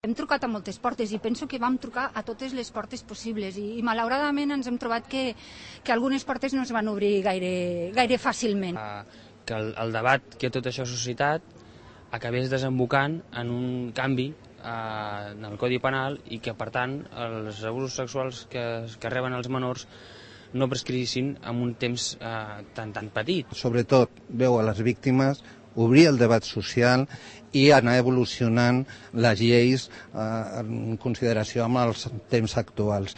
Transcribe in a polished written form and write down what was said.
Hem trucat a moltes portes i penso que vam trucar a totes les portes possibles i malauradament ens hem trobat que algunes portes no es van obrir gaire fàcilment. Que el debat que tot això ha suscitat acabés desembocant en un canvi en el Codi Penal i que, per tant, els abusos sexuals que reben els menors no prescriguessin en un temps tan petit. Sobretot veu a les víctimes, obrir el debat social i anar evolucionant les lleis en consideració amb els temps actuals.